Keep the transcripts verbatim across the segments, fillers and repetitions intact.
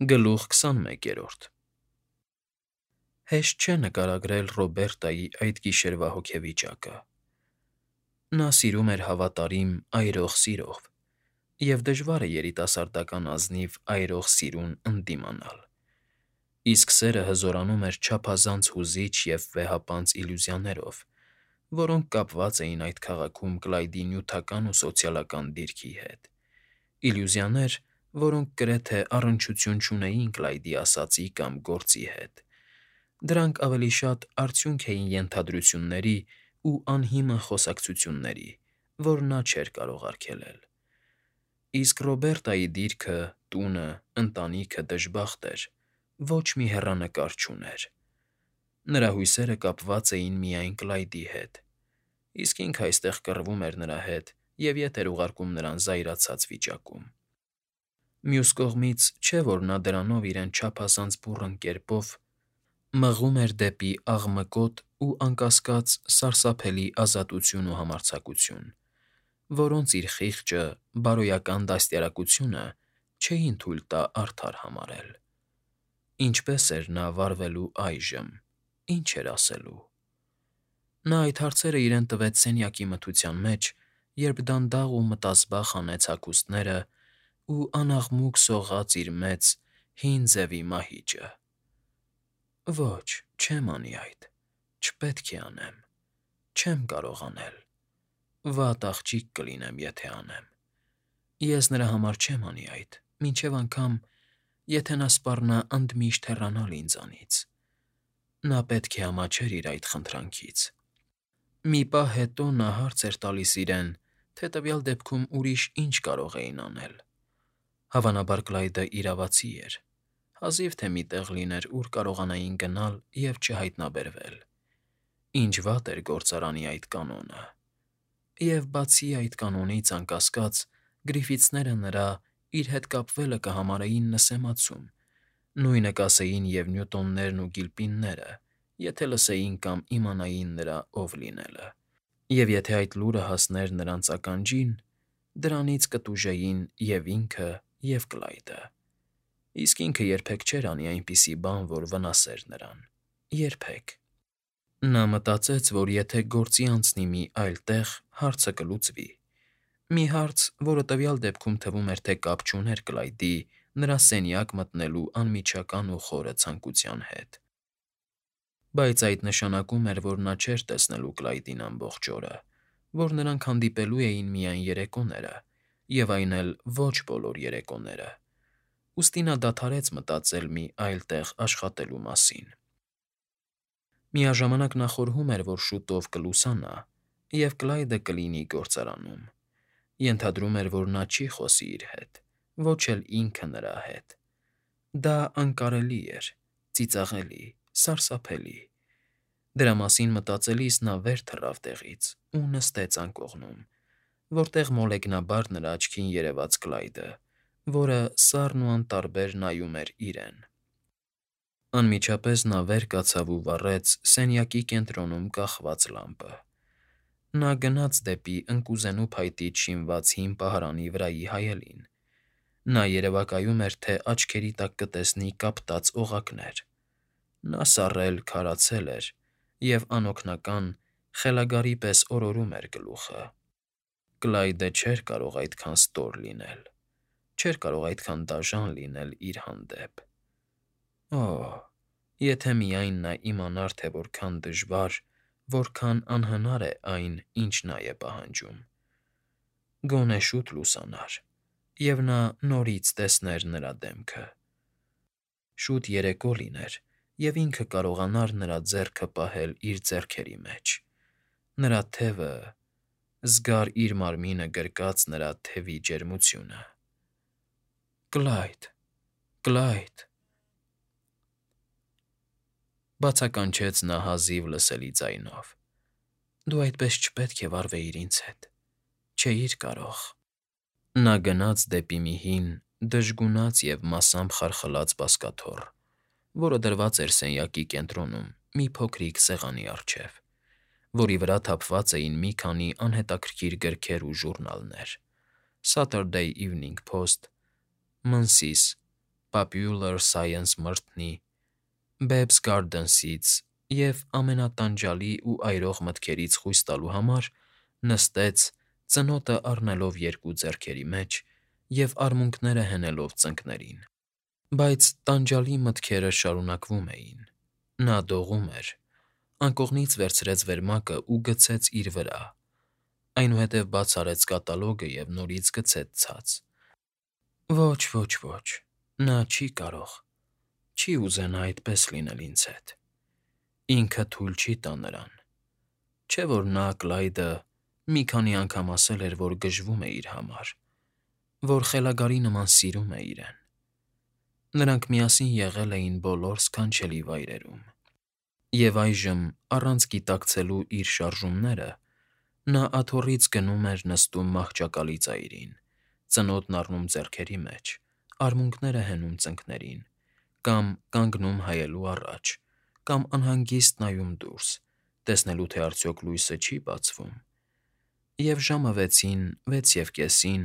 Գլուխ քսանմեկերորդ Հեշտ չէ նկարագրել Ռոբերտայի այդ գիշերվա հոգեվիճակը։ Նա սիրում էր հավատարիմ, այրող սիրով, և դժվար է երիտասարդական ազնիվ այրող սիրուն ընդդիմանալ, իսկ սերը հզորանում էր չափազանց հուզիչ և վեհապանծ իլյուզիաներով, որոնք կապված էին այդ քաղաքում Կլայդի նյութական ու սոցիալական դիրքի հետ, իլյուզիաներ, որոնք գրեթե առնչություն չունեին Կլայդի ասածի կամ գործի հետ. դրանք ավելի շատ արդյունք էին ենթադրությունների ու անհիմն խոսակցությունների, որ նա չէր կարող արգելել։ Իսկ Ռոբերտայի դիրքը, տունը, ընտանիքը դժբախտ էր, ոչ մի հեռանկար չուներ։ Նրա հույսերը կապված էին միայն Կլայդի հետ, իսկ ինքը այստեղ կռվում էր նրա հետ և ետ էր ուղարկում նրան զայրացած վիճակում։ Մյուս կողմից, չէ՞ որ նա դրանով իրեն չափազանց բուռն կերպով մղում էր դեպի աղմկոտ ու, անկասկած, սարսափելի ազատություն ու համարձակություն, որոնց իր խիղճը, բարոյական դաստիարակությունը չէին թույլ տա արդար համարել։ Ինչպե՞ս էր նա վարվելու այժմ, ինչ էր ասելու։ Նա այդ հարցերը իրեն տվեց սենյակի մթության մեջ, երբ դանդաղ ու մտազբաղ հանեց հագուստները ու անաղմուկ սողաց իր մեծ, հին ձևի մահիճը։ Ոչ, չեմ անի այդ, չպետք է անեմ, չեմ կարող անել, վատ աղջիկ կլինեմ, եթե անեմ։ Ես նրա համար չեմ անի այդ, մինչև անգամ, եթե նա սպառնա ընդմիշտ հեռանալ ինձանից։ Նա պետք է ամաչեր իր այդ խնդրանքից։ Մի պահ հետո նա հարց էր տալիս իրեն, թե տվյալ դեպքում ուրիշ ինչ կարող էին անել։ Հավանաբար Կլայդը իրավացի էր, հազիվ թե մի տեղ լիներ, ուր կարողանային գնալ և չհայտնաբերվել։ Ինչ վատ էր գործարանի այդ կանոնը։ Եվ բացի այդ կանոնից, անկասկած, Գրիֆիթսները նրա՝ իր հետ կապվելը կհամարեին նսեմացում, նույնը կասեին և Նյուտոններն ու Գիլպինները, եթե լսեին կամ իմանային նրա ով լինելը, և եթե այդ լուրը հասներ նրանց ականջին, դրանից կտուժեին և՛ ինքը, և՛ Կլայդը։ Իսկ ինքը երբեք չէր անի այնպիսի բան, որ վնասեր նրան, երբեք։ Նա մտածեց, որ եթե գործի անցնի մի այլ տեղ, հարցը կլուծվի, մի հարց, որը տվյալ դեպքում թվում էր, թե կապ չուներ Կլայդի՝ նրա սենյակ մտնելու անմիջական ու խորը ցանկության հետ։ Բայց այդ նշանակում էր, որ նա չէր տեսնելու Կլայդին ամբողջ օրը, որ նրանք հանդիպելու էին միայն երեկոները, և այն էլ ոչ բոլոր երեկոները, ուստի նա դադարեց մտածել մի այլ տեղ աշխատելու մասին։ Միաժամանակ նա խորհում էր, որ շուտով կլուսանա, և Կլայդը կլինի գործարանում։ Ենթադրում էր, որ նա չի խոսի իր հետ, ոչ էլ ինքը նրա հետ։ Դա անկարելի էր, ծիծաղելի, սարսափելի։ Դրա մասին մտածելիս նա վեր թռավ տեղից ու նստեց անկողնում, որտեղ մոլեգնաբար նրա աչքին երևաց Կլայդը, որը սառն ու անտարբեր նայում էր իրեն։ Անմիջապես նա վեր կացավ ու վառեց սենյակի կենտրոնում կախված լամպը։ Նա գնաց դեպի ընկուզենու փայտից շինված հին պահարանի վրայի հայելին։ Նա երևակայում էր, թե աչքերի տակ կտեսնի կապտած օղակներ։ Նա սառել, քարացել էր և անօգնական, խելագարի պես օրորում էր գլուխը։ Կլայդը չէր կարող այդքան ստոր լինել, չէր կարող այդքան դաժան լինել իր հանդեպ։ Օ՜, եթե միայն նա իմանար, թե որքան դժվար, որքան անհնար է այն, ինչ նա է պահանջում։ Գոնե շուտ լուսանար, և նա նորից տեսներ նրա դեմքը։ Շուտ երեկո լիներ, և ինքը կարողանար նրա ձեռքը պահել իր ձեռքերի մեջ, նրա թևը, զգար իր մարմինը գրկած նրա թևի ջերմությունը։ Կլայդ, Կլայդ… Բացականչեց նա հազիվ լսելի ձայնով։ Դու այդպես չպետք է վարվեիր ինձ հետ, չէիր կարող։ Նա գնաց դեպի մի հին, դժգունած և մասամբ խարխլած բազկաթոռ, որը դրված էր սենյակի կենտրոնում մի փոքրիկ սեղանի առջև, որի վրա թափված էին մի քանի անհետաքրքիր գրքեր ու ժուրնալներ՝ Saturday Evening Post, Menzies, Popular Science մրցնի, Babs Garden-ից և ամենատանջալի ու այրող մտքերից խույս տալու համար նստեց, ծնոտը առնելով երկու ձեռքերի մեջ և արմունկները հենելով ծնկներին։ Բայց տանջալի մտքերը շարունակվում էին։ Նա դողում էր, անկողնից վերցրեց վերմակն ու գցեց իր վրա, այնուհետև բաց արեց կատալոգը և նորից գցեց ցած։ Ոչ, ոչ, ոչ, նա չի կարող, չի ուզենա այդպես լինել ինձ հետ։ Ինքը թույլ չի տա նրան։ Չէ՞ որ նա՝ Կլայդը, մի քանի անգամ ասել էր, որ գժվում է իր համար, որ խելագարի նման սիրում է իրեն։ Նրանք միասին եղել էին բոլոր սքանչելի վայրերում։ Եվ այժմ, առանց գիտակցելու իր շարժումները, նա աթոռից գնում էր նստում մահճակալի ծայրին, ծնոտն առնում ձեռքերի մեջ, արմունկները հենում ծնկներին, կամ կանգնում հայելու առաջ, կամ անհանգիստ նայում դուրս, տեսնելու, թե արդյոք լույսը չի՞ բացվում։ Եվ ժամը վեցին, վեց և կեսին,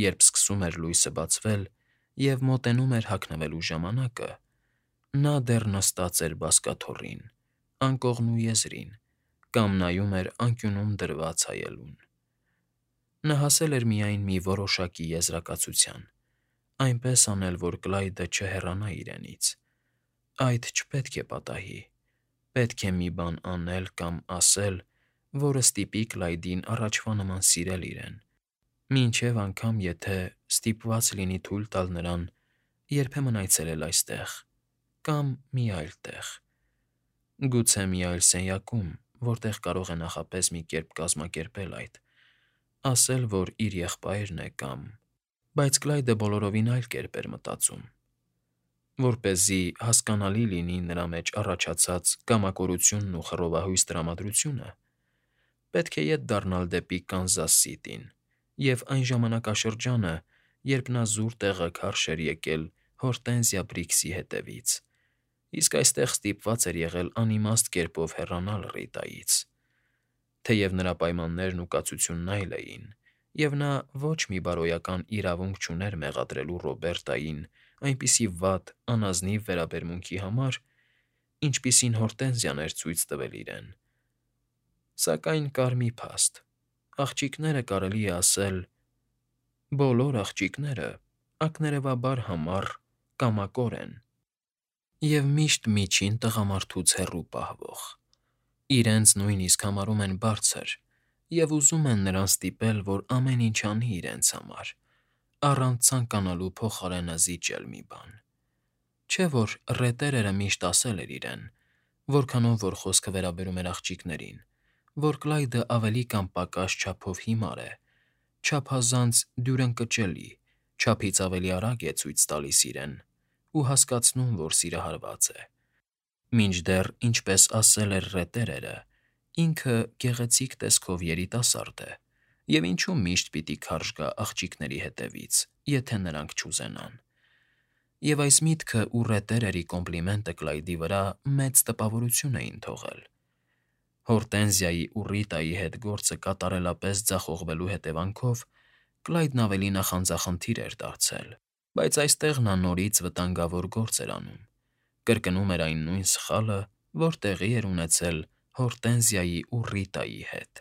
երբ սկսում էր լույսը բացվել և մոտենում էր հագնվելու ժամանակը, նա դեռ նստած էր բազկաթոռին, անկողն ու եզրին, կամ նայում էր անկյունում դրված հայելուն։ Նա հասել էր միայն մի որոշակի եզրակացության՝ այնպես անել, որ Կլայդը չհեռանա իրենից։ Այդ չպետք է պատահի։ Պետք է մի բան անել կամ ասել, որը ստիպի Կլայդին առաջվա նման սիրել իրեն, մինչև անգամ եթե ստիպված լինի թույլ տալ նրան երբեմն այցելել այստեղ կամ մի այլ տեղ։ Գուցե մի այլ սենյակում, որտեղ կարող է նախապես մի կերպ կազմակերպել այդ, ասել, որ իր եղբայրն է կամ… Բայց Կլայդը բոլորովին այլ կերպ էր մտածում։ Որպեսզի հասկանալի լինի նրա մեջ առաջացած կամակորությունն ու խռովահույս տրամադրությունը, պետք է ետ դառնալ դեպի Կանզաս Սիթիին և այն ժամանակաշրջանը, երբ նա զուր տեղը քարշ էր եկել Հորտենզիա Բրիքսի հետևից, իսկ այստեղ ստիպված էր եղել անիմաստ կերպով հեռանալ Ռիտայից։ Թեև նրա պայմաններն ու կացությունն այլ էին, և նա ոչ մի բարոյական իրավունք չուներ մեղադրելու Ռոբերտային այնպիսի վատ, անազնիվ վերաբերմունքի համար, ինչպիսին Հորտենզիան էր ցույց տվել իրեն, սակայն կար մի փաստ. աղջիկները, կարելի է ասել, բոլոր աղջիկները ակներևաբար համառ, կամակոր են և միշտ միջին տղամարդուց հեռու պահվող, իրենց նույնիսկ համարում են բարձր և ուզում են նրան ստիպել, որ ամեն ինչ անի իրենց համար, առանց ցանկանալու փոխարենը զիջել մի բան։ Չէ՞ որ Ռետերերը միշտ ասել էր իրեն, որքանով որ խոսքը վերաբերում էր աղջիկներին, որ Կլայդը ավելի կամ պակաս չափով հիմար է, չափազանց դյուրընկճելի, չափից ավելի արագ է ցույց տալիս իրեն ու հասկացնում, որ սիրահարված է։ Մինչդեռ, ինչպես ասել էր Ռետերերը, ինքը գեղեցիկ տեսքով երիտասարդ է, և ինչու միշտ պիտի քարշ գա աղջիկների հետևից, եթե նրանք չուզենան։ Եվ այս միտքը ու Ռետերերի կոմպլիմենտը Կլայդի վրա մեծ տպավորություն էին թողել։ Հորտենզիայի ու Ռիտայի հետ գործը կատարելապես ձախողվելու հետևանքով Կլայդն ավելի նախանձախնդիր էր դարձել, բայց այստեղ նա նորից վտանգավոր գործ էր անում, կրկնում էր այն նույն սխալը, որ տեղի էր ունեցել Հորտենզիայի ու Ռիտայի հետ։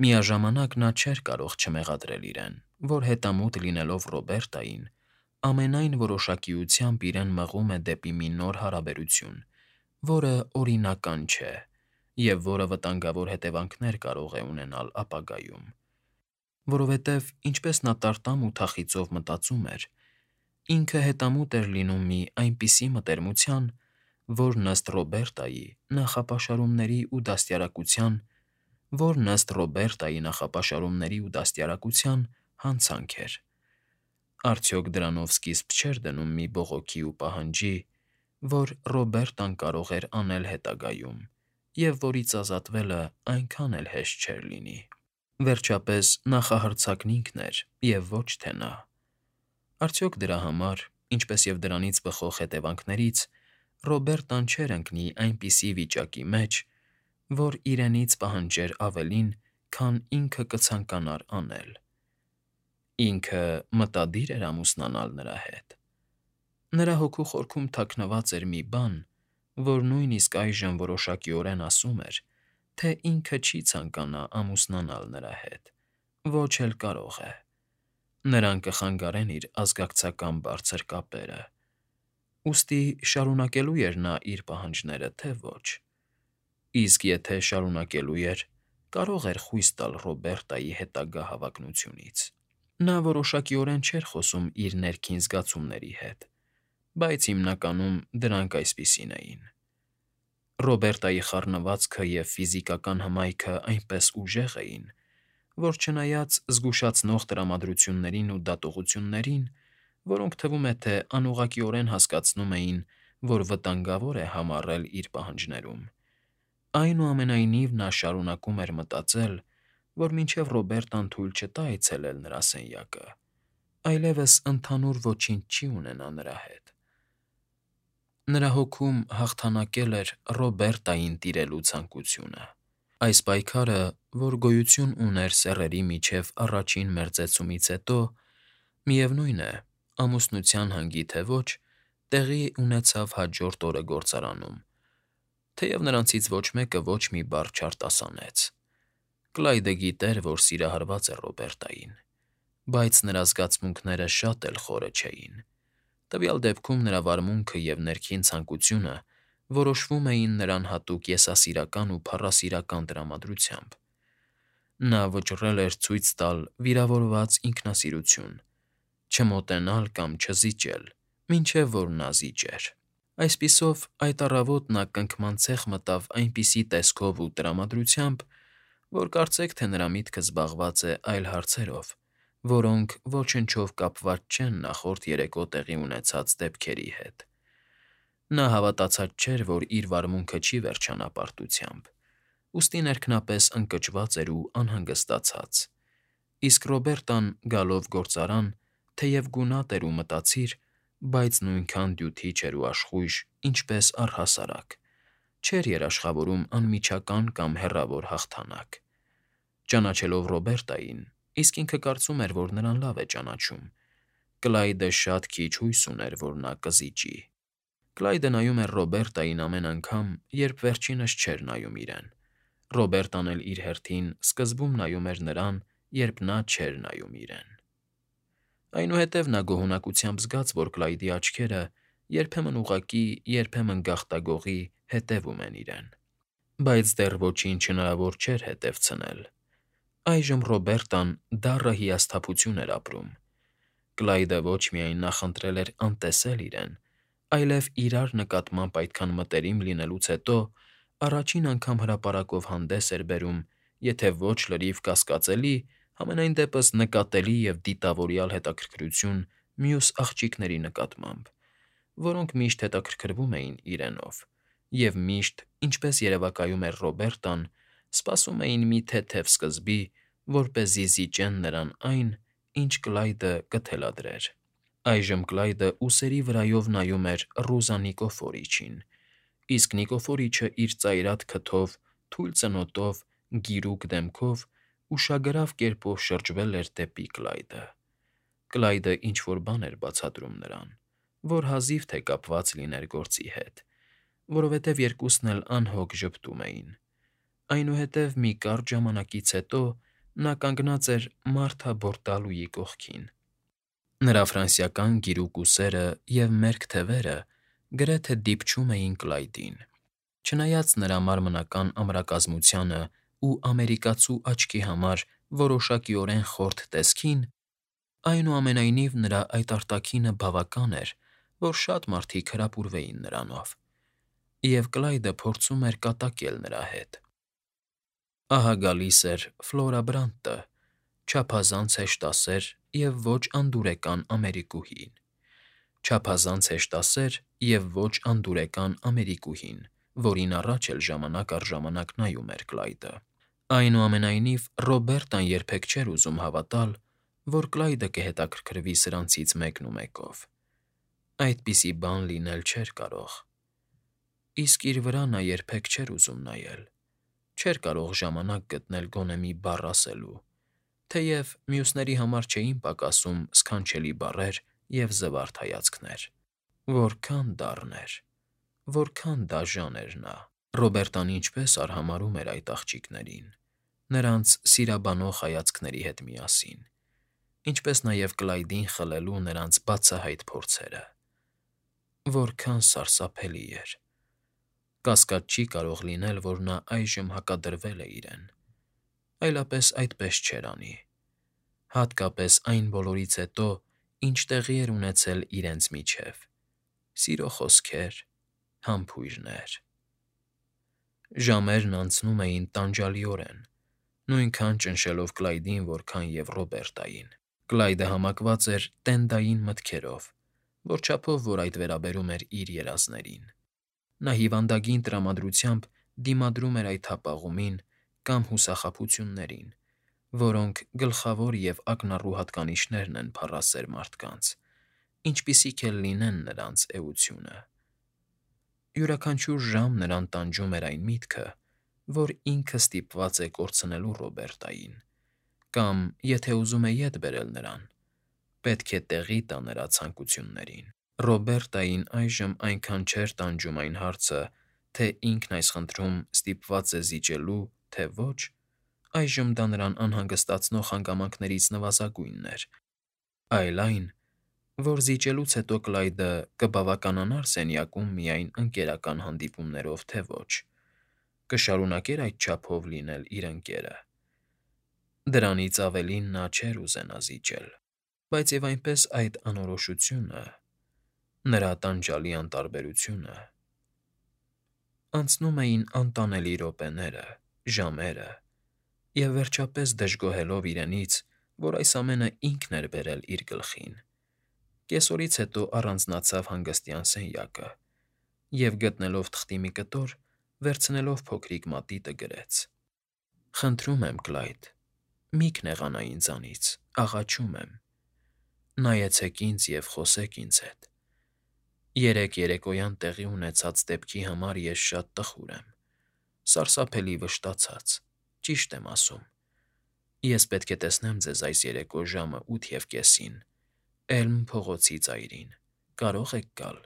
Միաժամանակ նա չէր կարող չմեղադրել իրեն, որ հետամուտ լինելով Ռոբերտային, ամենայն որոշակիությամբ իրեն մղում է դեպի մի նոր հարաբերություն, որը օրինական չէ և որը վտանգավոր հետևանքներ կարող է ունենալ ապագայում։ Որովհետև, ինչպես նա տարտամ ու թախիծով մտածում էր, ինքը հետամուտ էր լինում մի այնպիսի մտերմության, որն ըստ Ռոբերտայի նախապաշարումների ու դաստիարակության… որն ըստ Ռոբերտայի նախապաշարումների ու դաստիարակության հանցանք էր։ Արդյոք դրանով սկիզբ չէր դնում մի բողոքի ու պահանջի, որ Ռոբերտան կարող էր անել հետագայում և որից ազատվելը այնքան էլ հեշտ չէր լինի։ Վերջապես, նախահարձակն ինքն էր և ոչ թե նա։ Արդյոք դրա համար, ինչպես և դրանից բխող հետևանքներից, Ռոբերտան չէր ընկնի այնպիսի վիճակի մեջ, որ իրենից պահանջեր ավելին, քան ինքը կցանկանար անել։ Ինքը մտադի՞ր էր ամուսնանալ նրա հետ։ Նրա հոգու խորքում թաքնված էր մի բան, որ նույնիսկ այժմ որոշակիորեն ասում էր, թե ինքը չի ցանկանա ամուսնանալ նրա հետ, ոչ էլ կարող է. նրան կխանգարեն իր ազգակցական բարձր կապերը, ուստի շարունակելու էր նա իր պահանջները, թե ոչ, իսկ եթե շարունակելու էր, կարող էր խույս տալ Ռոբերտայի հետագա հավակնությունից։ Նա որոշակիորեն չէր խոսում իր ներքին զգացումների հետ, բայց հիմնականում դրանք այսպիսին էին. Ռոբերտայի խառնվածքը և ֆիզիկական հմայքը այնպես ուժեղ էին, որ չնայած զգուշացնող տրամադրություններին ու դատողություններին, որոնք թվում է, թե անուղղակիորեն հասկացնում էին, որ վտանգավոր է համառել իր պահանջներում, այնուամենայնիվ նա շարունակում էր մտածել, որ մինչև Ռոբերտան թույլ չտա այցելել նրա սենյակը, այլևս ընդհանուր ոչինչ չի ունենա նրա հետ։ Նրա հոգում հաղթանակել էր Ռոբերտային տիրելու ցանկությունը։ Այս պայքարը, որ գոյություն ուներ սեռերի միջև առաջին մերձեցումից հետո, միևնույն է, ամուսնության հանգի թե ոչ, տեղի ունեցավ հաջորդ օրը գործարանում, թեև նրանցից ոչ մեկը ոչ մի բառ չարտասանեց։ Կլայդը գիտեր, որ սիրահարված է Ռոբերտային, բայց նրա զգացմունքները շատ էլ խորը չէին։ Տվյալ դեպքում նրա վարմունքը և ներքին ցանկությունը որոշվում էին նրան հատուկ եսասիրական ու փառասիրական տրամադրությամբ։ Նա վճռել էր ցույց տալ վիրավորված ինքնասիրություն, չմոտենալ կամ չզիջել, մինչև որ նա զիջեր։ Այսպիսով, այդ առավոտ նա կնքման ցեխ մտավ այնպիսի տեսքով ու տրամադրությամբ, որ կարծեք թե նրա միտքը զբաղված է այլ հարցերով, որոնք ոչնչով կապված չեն նախորդ երեկո տեղի ունեցած դեպքերի հետ։ Նա հավատացած չէր, որ իր վարմունքը չի վերջանա պարտությամբ, ուստի ներքնապես ընկճված էր ու անհանգստացած, իսկ Ռոբերտան, գալով գործարան, թեև գունատ էր ու մտածիր, բայց նույնքան դյութի չէր ու աշխույժ, ինչպես առհասարակ, չէր երաշխավորում անմիջական կամ հեռավոր հաղթանակ։ Ճանաչելով Ռոբերտային, իսկ ինքը կարծում էր, որ նրան լավ է ճանաչում, Կլայդը շատ քիչ հույս ուներ, որ նա կզիջի։ Կլայդը նայում էր Ռոբերտային ամեն անգամ, երբ վերջինս չէր նայում իրեն։ Ռոբերտան էլ իր հերթին սկզբում նայում էր նրան, երբ նա չէր նայում իրեն։ Այնուհետև նա գոհունակությամբ զգաց, որ Կլայդի աչքերը երբեմն ուղղակի, երբեմն գաղտագողի հետևում են իրեն։ Բայց դեռ ոչինչ հնարավոր չէր հետևցնել։ Այժմ Ռոբերտան դառը հիասթափություն էր ապրում։ Կլայդը ոչ միայն նախընտրել էր անտեսել իրեն, այլև իրար նկատմամբ այդքան մտերիմ լինելուց հետո առաջին անգամ հրապարակով հանդես էր բերում, եթե ոչ լրիվ կասկածելի, համենայն դեպս նկատելի և դիտավորյալ հետաքրքրություն մյուս աղջիկների նկատմամբ, որոնք միշտ հետաքրքրվում էին իրենով, և միշտ, ինչպես երևակայում էր Ռոբերտան, սպասում էին մի թեթև սկզբի, որպեսզի զիջեն նրան այն, ինչ Կլայդը կթելադրեր։ Այժմ Կլայդը ուսերի վրայով նայում էր Ռոզա Նիկեֆորիչին, իսկ Նիկեֆորիչը իր ծայրատ քթով, թույլ ծնոտով, գիրուկ դեմքով ուշագրավ կերպով շրջվել էր դեպի Կլայդը։ Կլայդը ինչ֊որ բան էր բացատրում նրան, որ հազիվ թե կապված լիներ գործի հետ, որովհետև երկուսն էլ անհոգ ժպտում էին։ Այնուհետև մի կարճ ժամանակից հետո նա կանգնած էր Մարթա Բորտալուի կողքին։ Նրա ֆրանսիական գիրուկ ուսերը և մերկ թևերը գրեթե դիպչում էին Կլայդին։ Չնայած նրա մարմնական ամրակազմությանն ու ամերիկացու աչքի համար որոշակիորեն խորթ տեսքին, այնուամենայնիվ նրա այդ արտաքինը բավական էր, որ շատ մարդիկ հրապուրվեին նրանով, և Կլայդը փորձում էր կատակել նրա հետ։ Ահա գալիս էր Ֆլորա Բրանտը, չափազանց հեշտասեր և ոչ անդուրեկան ամերիկուհին, չափազանց հեշտասեր և ոչ անդուրեկան ամերիկուհին, որին առաջ էլ ժամանակ առ ժամանակ նայում էր Կլայդը։ Այնուամենայնիվ Ռոբերտան երբեք չէր ուզում հավատալ, որ Կլայդը կհետաքրքրվի սրանցից մեկնումեկով։ Այդպիսի բան լինել չէր կարող։ Իսկ իր վրա նա երբեք չէր ուզում նայել, չէր կարող ժամանակ գտնել գոնե մի բառ ասելու, թեև մյուսների համար չէին պակասում սքանչելի բառեր և զվարթ հայացքներ։ Որքան դառն էր, որքան դաժան էր նա։ Ռոբերտան ինչպես արհամարհում էր այդ աղջիկներին, նրանց սիրաբանող հայացքների հետ միասին, ինչպես նաև Կլայդին խլելու նրանց բացահայտ փորձերը։ Որքան սարսափելի էր։ Կասկած չի կարող լինել, որ նա այժմ հակադրվել է իրեն, այլապես այդպես չէր անի, հատկապես այն բոլորից հետո, ինչ տեղի էր ունեցել իրենց միջև. սիրո խոսքեր, համբույրներ։ Ժամերն անցնում էին տանջալիորեն, նույնքան ճնշելով Կլայդին, որքան և Ռոբերտային։ Կլայդը համակված էր տենդային մտքերով, որչափով որ այդ վերաբերում էր իր երազներին։ Նա հիվանդագին տրամադրությամբ դիմադրում էր այդ հապաղումին կամ հուսախաբություններին, որոնք գլխավոր և ակնառու հատկանիշներն են փառասեր մարդկանց, ինչպիսիք էլ լինեն նրանց էությունը։ Յուրաքանչյուր ժամ նրան տանջում էր այն միտքը, որ ինքը ստիպված է կորցնելու Ռոբերտային, կամ, եթե ուզում է ետ բերել նրան, պետք է տեղի տա նրա ցանկություններին։ Ռոբերտային այժմ այնքան չէր տանջում այն հարցը, թե ինքն այս խնդրում ստիպված է զիջելու, թե ոչ, այժմ դա նրան անհանգստացնող հանգամանքներից նվազագույնն էր, այլ այն, որ զիջելուց հետո Կլայդը կբավականանա՞ր սենյակում միայն ընկերական հանդիպումներով, թե ոչ, կշարունակե՞ր այդ չափով լինել իր ընկերը։ Դրանից ավելին նա չէր ուզենա զիջել, բայց և այնպես այդ անորոշությունը, նրա տանջալի անտարբերությունը… Անցնում էին անտանելի րոպեները, ժամերը, և վերջապես դժգոհելով իրենից, որ այս ամենը ինքն էր բերել իր գլխին, կեսօրից հետո առանձնացավ հանգստյան սենյակը և, գտնելով թղթի մի կտոր, վերցնելով փոքրիկ մատիտը գրեց. «Խնդրում եմ, Կլայդ, մի՛ քնեղանա ինձանից, աղաչում եմ, նայեցեք ինձ և խոսեք ինձ հետ։ Երեկ երեկոյան տեղի ունեցած դեպքի համար ես շատ տխուր եմ, սարսափելի վշտացած, ճիշտ եմ ասում։ Ես պետք է տեսնեմ ձեզ այս երեկո ժամը ութ և կեսին Էլմ փողոցի ծայրին, կարո՞ղ եք գալ։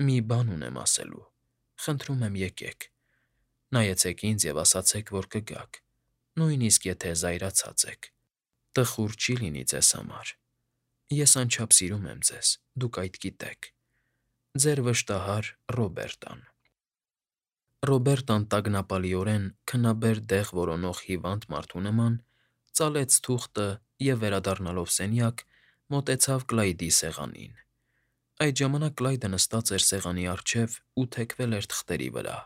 Մի բան ունեմ ասելու, խնդրում եմ եկեք, նայեցեք ինձ և ասացեք, որ կգաք, նույնիսկ եթե զայրացած եք, տխուր չի լինի ձեզ համար։ Ես անչափ սիրում եմ ձեզ, դուք այդ գիտեք։ Ձեր վշտահար Ռոբերտան»։ Ռոբերտան տագնապալիորեն քնաբեր դեղ որոնող հիվանդ մարդու նման ծալեց թուղթը և, վերադառնալով սենյակ, մոտեցավ Կլայդի սեղանին։ Այդ ժամանակ Կլայդը նստած էր սեղանի առջև ու թեքվել էր թղթերի վրա։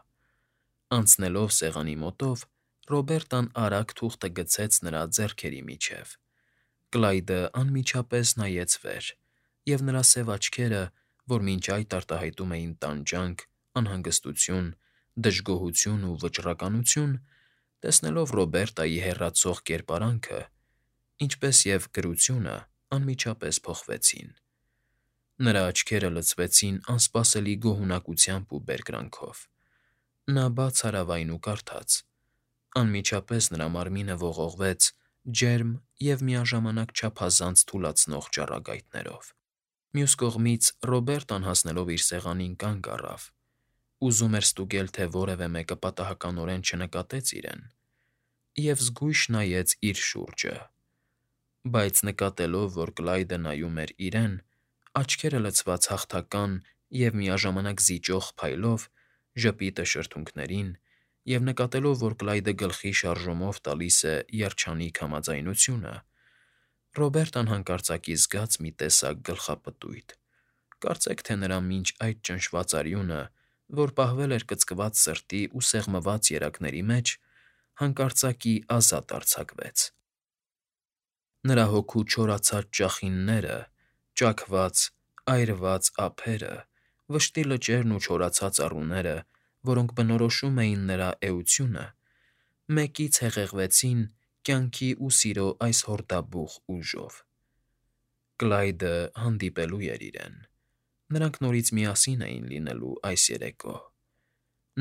Անցնելով սեղանի մոտով, Ռոբերտան արագ թուղթը գցեց նրա ձեռքերի միջև։ Կլայդը անմիջապես նայեց վեր, և նրա սև աչքերը, որ մինչ այդ արտահայտում էին տանջանք, անհանգստություն, դժգոհություն ու վճռականություն, տեսնելով Ռոբերտայի հեռացող կերպարանքը, ինչպես և գրությունը, անմիջապես փոխվեցին։ Նրա աչքերը լցվեցին անսպասելի գոհունակությամբ ու բերկրանքով։ Նա բաց արավ այն ու կարդաց. անմիջապես նրա մարմինը ողողվեց ջերմ և միաժամանակ չափազանց թուլացնող ճառագայթներով։ Մյուս կողմից Ռոբերտան, հասնելով իր սեղանին, կանգ առավ, ուզում էր ստուգել, թե որևէ մեկը պատահականորեն չնկատեց իրեն, և զգույշ նայեց իր շուրջը, բայց նկատելով, որ Կլայդը նայում էր իրեն, աչքերը լցված հաղթական և միաժամանակ զիջող փայլով, ժպիտը շրթունքներին, և նկատելով, որ Կլայդը գլխի շարժումով տալիս է երջանիկ համաձայնությունը, Ռոբերտան հանկարծակի զգաց մի տեսակ գլխապտույտ, կարծեք թե նրա մինչ այդ ճնշված արյունը, որ պահվել էր կծկված սրտի ու սեղմված երակների մեջ, հանկարծակի ազատ արձակվեց։ Նրա հոգու չորացած ճախինները, ճաքված, այրված ափերը, վշտի լճերն ու չորացած առուները, որոնք բնորոշում էին նրա էությունը, մեկից հեղեղվեցին կյանքի ու սիրո այս հորդաբուխ ուժով։ Կլայդը հանդիպելու էր իրեն։ Նրանք նորից միասին էին լինելու այս երեկո։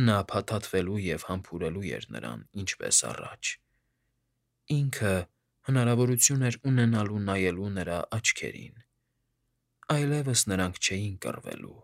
Նա փաթաթվելու և համբուրելու էր նրան, ինչպես առաջ։ Ինքը հնարավորություն էր ունենալու նայելու նրա աչքերին։ Այլևս նրանք չէին կռվելու։